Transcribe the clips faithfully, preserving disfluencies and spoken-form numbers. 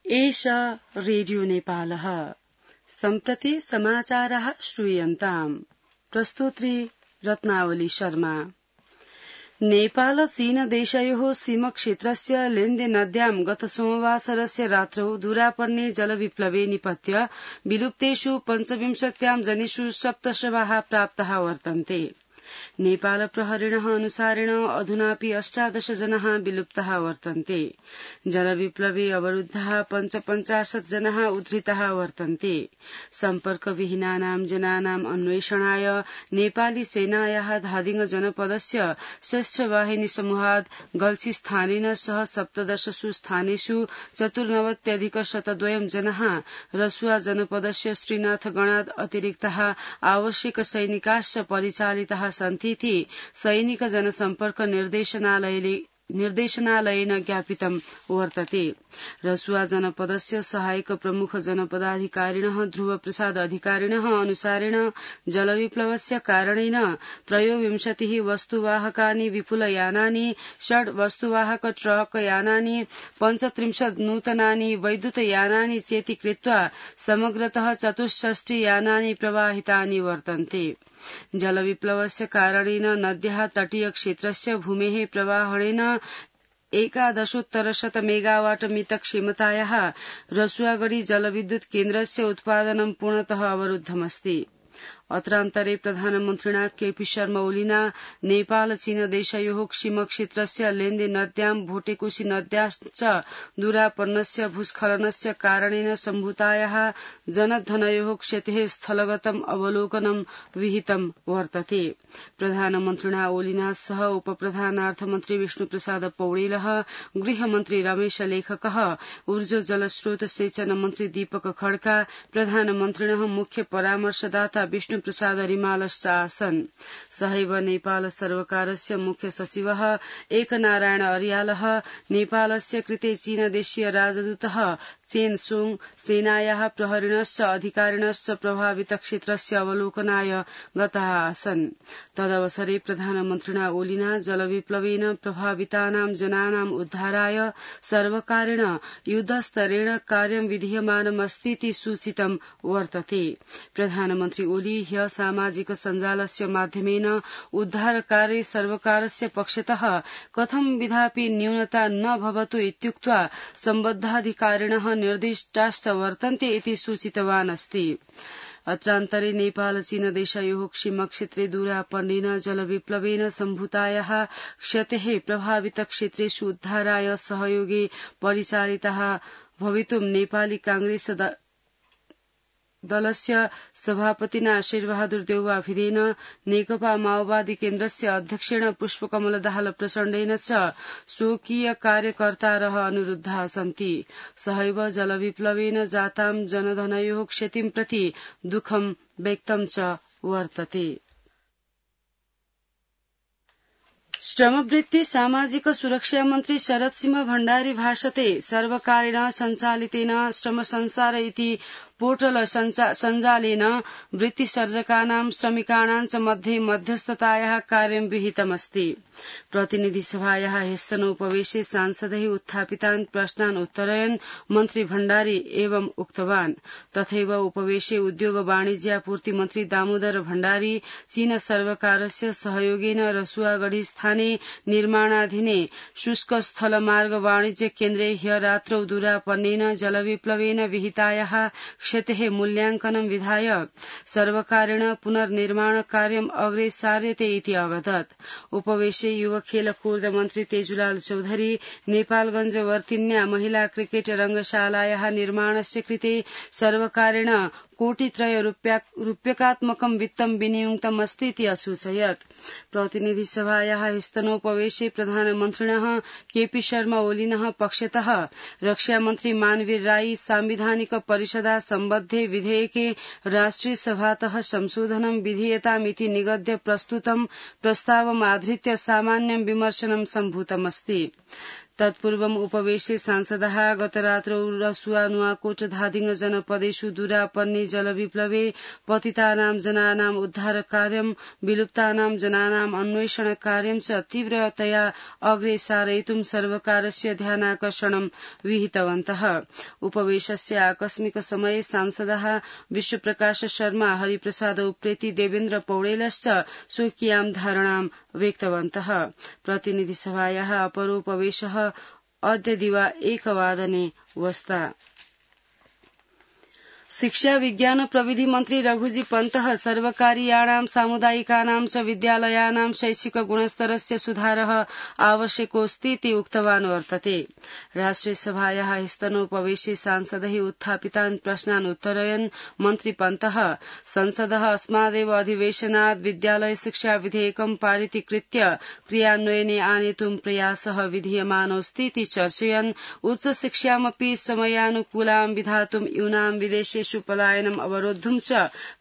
एषा रेडियो नेपालः। सम्प्रति समाचारः श्रूयन्ताम्। प्रस्तुत्री रत्नावली शर्मा। नेपाल चीन देशयोः सीमक्षेत्रस्य लेन्दे नद्यां गत सोमवासरस्य रात्रौ दूरापर्णे जलविप्लवे निपत्य विलुप्तेषु पञ्चविंशत्यां जनेषु सप्तशवाः प्राप्ताः वर्तन्ते। नेपाल प्रहरिणः अनुसारेण अधुनापि अष्टादश जनाः विलुप्ताः वर्तन्ते। जलविप्लवे अवरुद्धाः पञ्चपञ्चाशत् जनाः उद्धृताः वर्तन्ते। सम्पर्कविहीनानां जनानाम् अन्वेषणाय नेपाली सेनायाः धादिङ जनपदस्य श्रेष्ठवाहिनी समूहात् गल्छी स्थानेन सह सप्तदशसु स्थानेषु चतुर्नवत्यधिक शतद्वयं जनाः रसुआ जनपदस्य श्रीनाथगणात् अतिरिक्ताः आवश्यक सैनिकाश्च परिचालिताः सन्तीति सैनिक जनसम्पर्क निर्देशनालयले निर्देशनालयेन ज्ञापितं वर्तते। रसुआ जनपदस्य सहायक प्रमुख जनपदाधिकारिणः ध्रुव प्रसाद अधिकारिणः अनुसारेण जलविप्लवस्य कारणेन त्रयोविंशतिः वस्तुवाहकानि विपुलयानानि, षड् वस्तुवाहक ट्रक यानानि, पञ्चत्रिंशत् नूतनानि वैद्युतयानानि चेति कृत्वा समग्रतः चतुष्षष्टि यानानि प्रवाहितानि वर्तन्ते। जलविप्लवस्य कारणेन नद्याः तटीय क्षेत्रस्य भूमेः प्रवाहणेन एकादशोत्तरशत मेगावाट मित क्षमतायाः रसुआगढी जलविद्युत् केन्द्रस्य उत्पादनं पूर्णतः अवरुद्धमस्ति। अत्रान्तरे प्रधानमन्त्रिणा केपी शर्मा ओलीना नेपाल चीन देशयोः सीमक्षेत्रस्य लेन्दे नद्यां भोटेकोशी नद्याश्च दूरापन्नस्य भूस्खलनस्य कारणेन सम्भूतायाः जनधनयोः क्षतेः स्थलगतम् अवलोकनं विहितं वर्तते। प्रधानमन्त्रिणा ओलीना सह उपप्रधानार्थमन्त्री विष्णुप्रसाद पौडेलः, गृहमन्त्री रमेश लेखकः, ऊर्जा जलस्रोत सेचन मन्त्री दीपक खड्का, प्रधानमन्त्रिणः मुख्य परामर्शदाता विष्णु प्रसाद रिमालश्च आसन्। सहैव नेपाल सर्वकारस्य मुख्य सचिवः एकनारायण अर्यालः, नेपालस्य कृते चीनदेशीय राजदूतः चेन सोङ, सेनायाः प्रहरिणश्च अधिकारिणश्च प्रभावित क्षेत्रस्य अवलोकनाय गताः आसन्। तदवसरे प्रधानमन्त्रिणा ओलीना जलविप्लवेन प्रभावितानां जनानाम् उद्धाराय सर्वकारेण युद्धस्तरेण कार्यं विधीयमानमस्तीति सूचितं वर्तते। प्रधानमन्त्री ओली ह्य सामाजिक सञ्जालस्य माध्यमेन उद्धारकार्ये सर्वकारस्य पक्षतः कथं विधापि न्यूनता न भवतु इत्युक्त्वा सम्बद्धाधिकारिणः निर्दिष्टाश्च वर्तन्ते इति सूचितवान् अस्ति। अत्रान्तरे नेपाल चीन देशयोः सीमक्षेत्रे दूरापर्णेन जलविप्लवेन सम्भूतायाः क्षतेः प्रभावित क्षेत्रेषु उद्धाराय सहयोगे परिचालिताः भवितुं नेपाली कांग्रेस दलस्य सभापतिना शेरबहादुर देउवा भिदेन, नेकपा माओवादी केन्द्रस्य अध्यक्षेण पुष्पकमल दाहाल प्रचण्डेन च स्वकीय कार्यकर्तारः अनुरुद्धाः सन्ति। सहैव जलविप्लवेन जातां जनधनयोः क्षतिं प्रति दुःखं व्यक्तं च वर्तते। श्रमवृत्ति सामाजिक सुरक्षा मन्त्री शरद सिंह भण्डारी भाषते सर्वकारेण सञ्चालितेन श्रम संसार इति पोर्टल सञ्जालेन वृत्तिसर्जकानां श्रमिकाणां च मध्ये मध्यस्थतायाः कार्यं विहितमस्ति। प्रतिनिधिसभायाः ह्यस्तनोपवेशे सांसदैः उत्थापितान् प्रश्नान् उत्तरयन् मन्त्री भण्डारी एवं उक्तवान्। तथैव उपवेशे उद्योग वाणिज्यापूर्ति मन्त्री दामोदर भण्डारी चीन सर्वकारस्य सहयोगेन रसुआगढी स्थाने निर्माणाधीने शुष्क स्थल मार्ग वाणिज्य केन्द्रे ह्य रात्रौ दूरापर्णेन जलविप्लवेन विहितायाः क्षतेः मूल्याङ्कनं विधाय सर्वकारेण पुनर्निर्माण कार्यम् अग्रे सार्यते इति अवदत्। उपवेशे युवा खेल कूर्द मन्त्री तेजुलाल चौधरी नेपालगञ्ज वर्तिन्या महिला क्रिकेट रंगशालायाः निर्माणस्य कृते सर्वकारेण कोटित्रय रूप्यकात्मकं वित्तं विनियुक्तमस्तीति असूचयत्। प्रतिनिधिसभायाः स्तनोपवेशे प्रधानमन्त्रिणः केपी शर्मा ओलीनः पक्षतः रक्षामन्त्री मानवीर राई सांविधानिक परिषदा सम्बद्धे विधेयके राष्ट्रिय सभातः संशोधनं विधीयतामिति निगद्य प्रस्तुतं प्रस्तावमाधृत्य सामान्यं विमर्शनं सम्भूतमस्ति। तत्पूर्वम् उपवेशे सांसदः गतरात्रौ रसुआ नुवाकोट धादिङ जनपदेषु दुरापन्ने जलविप्लवे पतितानां जनानाम् उद्धार कार्यं विलुप्तानां जनानाम् अन्वेषण कार्यं च तीव्रतया अग्रे सारयितुं सर्वकारस्य ध्यानाकर्षणं विहितवन्तः। उपवेशस्य आकस्मिक समये सांसदः विश्वप्रकाश शर्मा हरिप्रसाद उप्रेती देवेन्द्र पौडेलश्च स्वकीयां धारणां व्यक्तवन्तः। प्रतिनिधिसभायाः अपरोपवेशः अद्य दिवा एकवादने वस्ता। शिक्षा विज्ञान प्रविधि मन्त्री रघुजी पन्तः सर्वकारीयाणां सामुदायिकानां च विद्यालयानां शैक्षिक गुणस्तरस्य सुधारः आवश्यकोऽस्ति इति उक्तवान् वर्तते। राष्ट्रियसभायाः स्तनोपवेशे सांसदैः उत्थापितान् प्रश्नान् उत्तरयन् मन्त्री पन्तः संसदः अस्मादेव अधिवेशनात् विद्यालय शिक्षा विधेयकं पारितीकृत्य क्रियान्वयने आनेतुं प्रयासः विधीयमानोऽस्ति इति चर्चयन् उच्च शिक्षामपि समयानुकूलां विधातुं यूनां विदेशे पलायनम् अवरोद्धुं च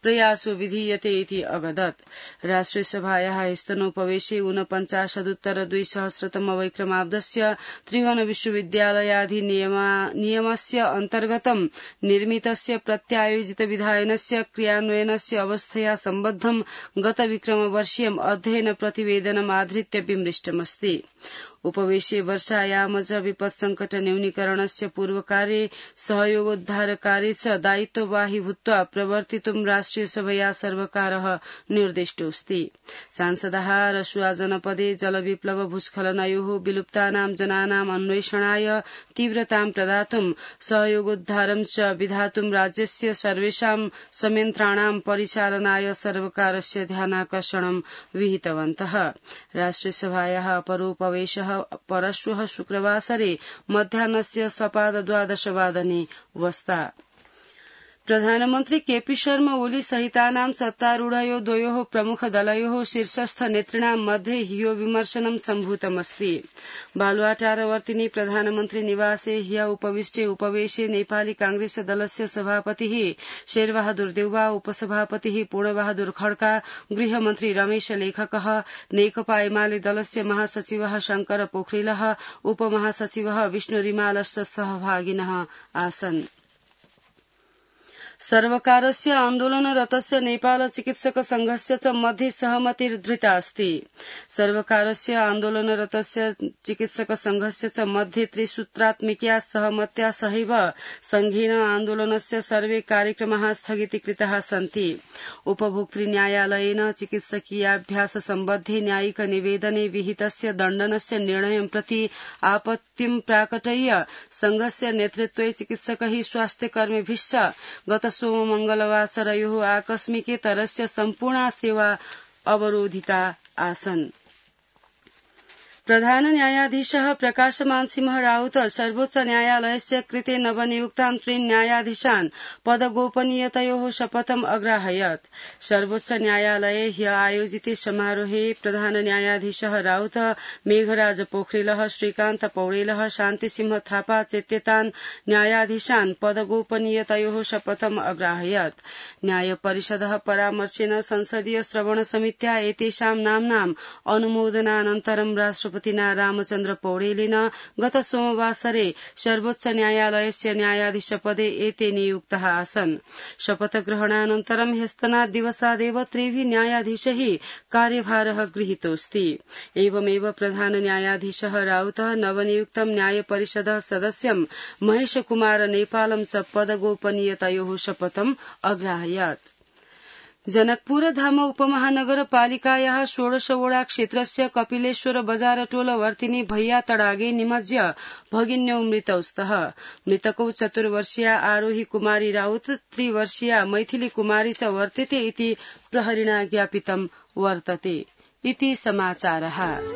प्रयासो विधीयते इति अगदत्। राष्ट्रियसभायाः स्तनोपवेशे ऊनपञ्चाशदुत्तर द्विसहस्रतमवैक्रमाब्दस्य त्रिभुवन विश्वविद्यालयाधिनियमस्य अन्तर्गतं निर्मितस्य प्रत्यायोजित विधायनस्य क्रियान्वयनस्य अवस्थया सम्बद्धं गतविक्रमवर्षीयम् अध्ययन प्रतिवेदनम् आधृत्य विमृष्टमस्ति। उपवेशे वर्षायामज विपत्सङ्कट न्यूनीकरणस्य पूर्वकार्ये सहयोगोद्धारकार्ये च दायित्ववाही भूत्वा प्रवर्तितुं राष्ट्रियसभया सर्वकारः निर्दिष्टोऽस्ति। सांसदः रसुआ जनपदे जलविप्लव भूस्खलनयोः विलुप्तानां जनानाम् अन्वेषणाय तीव्रतां प्रदातुं सहयोगोद्धारं च विधातुं राज्यस्य सर्वेषां संयन्त्राणां परिचालनाय सर्वकारस्य ध्यानाकर्षणं विहितवन्तः। राष्ट्रियसभायाः अपरोपवेशः परश्वः शुक्रवासरे मध्याह्नस्य सपादद्वादशवादने वस्ता। प्रधानमन्त्री केपी शर्मा ओली सहितानां सत्तारूढयो द्वयोः प्रमुख दलयोः शीर्षस्थ नेतॄणां मध्ये ह्यो विमर्शनं सम्भूतमस्ति। बालुवाटारवर्तिनि प्रधानमन्त्री निवासे ह्य उपविष्टे उपवेशे नेपाली कांग्रेस दलस्य सभापतिः शेरबहादुर देउवा, उपसभापतिः पूर्णबहादुर खड्का, गृहमन्त्री रमेश लेखकः, नेकपा एमाले दलस्य महासचिवः शंकर पोखरेलः, उपमहासचिवः विष्णु रिमालश्च सहभागिनः आसन्। सर्वकारस्य आन्दोलनरतस्य नेपाल चिकित्सक संघस्य च मध्ये सहमतिर्धृता अस्ति। सर्वकारस्य आन्दोलनरतस्य चिकित्सक संघस्य च मध्ये त्रिसूत्रात्मिक्या सहमत्या सहैव संघेन आन्दोलनस्य सर्वे कार्यक्रमाः स्थगितीकृताः सन्ति। उपभोक्तृन्यायालयेन चिकित्सकीयाभ्यास सम्बद्धे न्यायिक निवेदने विहितस्य दण्डनस्य निर्णयं प्रति आपत्तिं प्राकटय्य संघस्य नेतृत्वे चिकित्सकैः स्वास्थ्यकर्मिभिश्च गत सोममंगलवासरयोः आकस्मिकेतरस्य सम्पूर्णा सेवा अवरोधिता आसन्। प्रधान न्यायाधीशः प्रकाशमान सिंह राउत सर्वोच्च न्यायालयस्य कृते नवनियुक्तान् त्रीन् न्यायाधीशान् पदगोपनीयतयोः शपथम् अग्राहयत्। सर्वोच्च न्यायालये ह्य आयोजिते समारोहे प्रधान न्यायाधीशः राउत, मेघराज पोखरेलः, श्रीकान्त पौडेलः, शान्तिसिंह थापा चेत्येतान् न्यायाधीशान् पदगोपनीयतयोः शपथम् अग्राहयत्। न्यायपरिषदः परामर्शेन संसदीय श्रवण समित्या एतेषां नाम्नाम् अनुमोदनानन्तरं राष्ट्रपति राष्ट्रपतिना रामचन्द्र पौडेलेन गत सोमवासरे सर्वोच्च न्यायालयस्य न्यायाधीशपदे एते नियुक्ताः आसन्। शपथग्रहणानन्तरं ह्यस्तनात् दिवसादेव त्रिभिः न्यायाधीशैः कार्यभारः गृहीतोऽस्ति। एवमेव प्रधान न्यायाधीशः राउतः नवनियुक्तं न्यायपरिषदः सदस्यं महेशकुमार नेपालं च पदगोपनीयतयोः शपथम् अग्राहयत्। जनकपुरधाम उपमहानगरपालिकायाः षोडशवोडा क्षेत्रस्य कपिलेश्वर बजारटोल वर्तिनि भैया तडागे निमज्य भगिन्यौ मृतौ स्तः। मृतकौ चतुर्वर्षीया आरोही कुमारी राउत, त्रिवर्षीया मैथिली कुमारी च वर्तेते इति प्रहरिणा ज्ञापितं वर्तते। इति समाचारः।